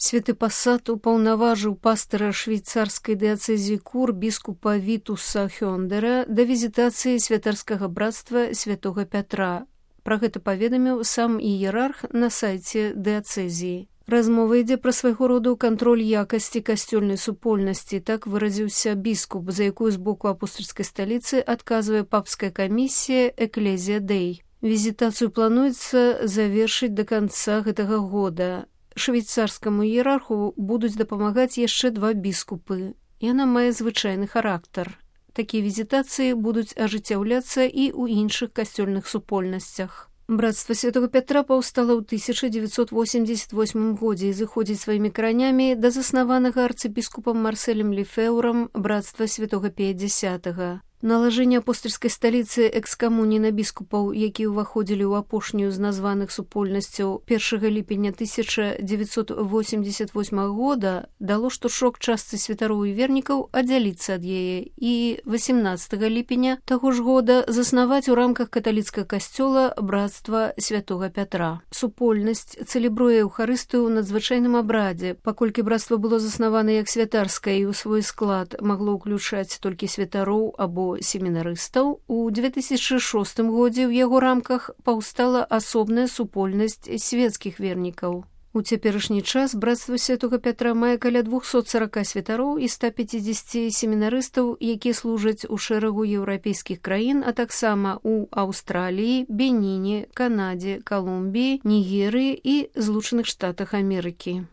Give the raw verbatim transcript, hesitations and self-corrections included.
Святы пасад упаўнаважыў пастара швейцарскай дыяцэзіі Кур біскупа Вітуса Хёндера да візітацыі святарскага брацтва святога Пятра. Пра гэта паведаміў сам іерарх на сайце дыяцэзіі. Размова ідзе пра свайго роду кантроль якасці касцёльнай супольнасці, так выразіўся біскуп, за якую з боку апостальскай сталіцы адказвае папская камісія Экклезія Дэй. Візітацыю плануецца завершыць да канца гэтага года. Швейцарскаму іерарху будуць дапамагаць яшчэ два біскупы. Яна мае звычайны характар. Такія візітацыі будуць ажыццяўляцца і ў іншых касцёльных супольнасцях. Брацтва святого Пятра паўстала ў тысяча дзевяцьсот восемьдесят восьмым годзе і зыходзіць сваімі каранямі да заснаванага арцыбіскупам Марселем Лефеўрам брацтва святого Пяцідзясятага. Налажэнне апостальскай сталіцы экскамуніі на біскупаў, якія ўваходзілі ў апошнюю з названых супольнасцяў першага ліпеня тысяча дзевяцьсот восемьдесят восьмага года, дало штуршок частцы святароў і вернікаў аддзяліцца ад яе і васемнаццатага ліпеня таго ж года заснаваць у рамках каталіцкага касцёла брацтва святога Пятра. Супольнасць цэлебруе эўхарыстыю ў надзвычайным абрадзе, паколькі брацтва было заснавана як святарскае і ў свой склад магло ўключаць толькі святароў або семінарыстаў, у две тысячы шостым годзе ў яго рамках паўстала асобная супольнасць свецкіх вернікаў. У цяперашні час брацтва святога Пятра мае каля двухсот сорока святароў і ста пяцідзесяці семінарыстаў, якія служаць у шэрагу еўрапейскіх краін, а таксама ў Аўстраліі, Беніне, Канадзе, Калумбіі, Нігерыі і Злучаных Штатах Амерыкі.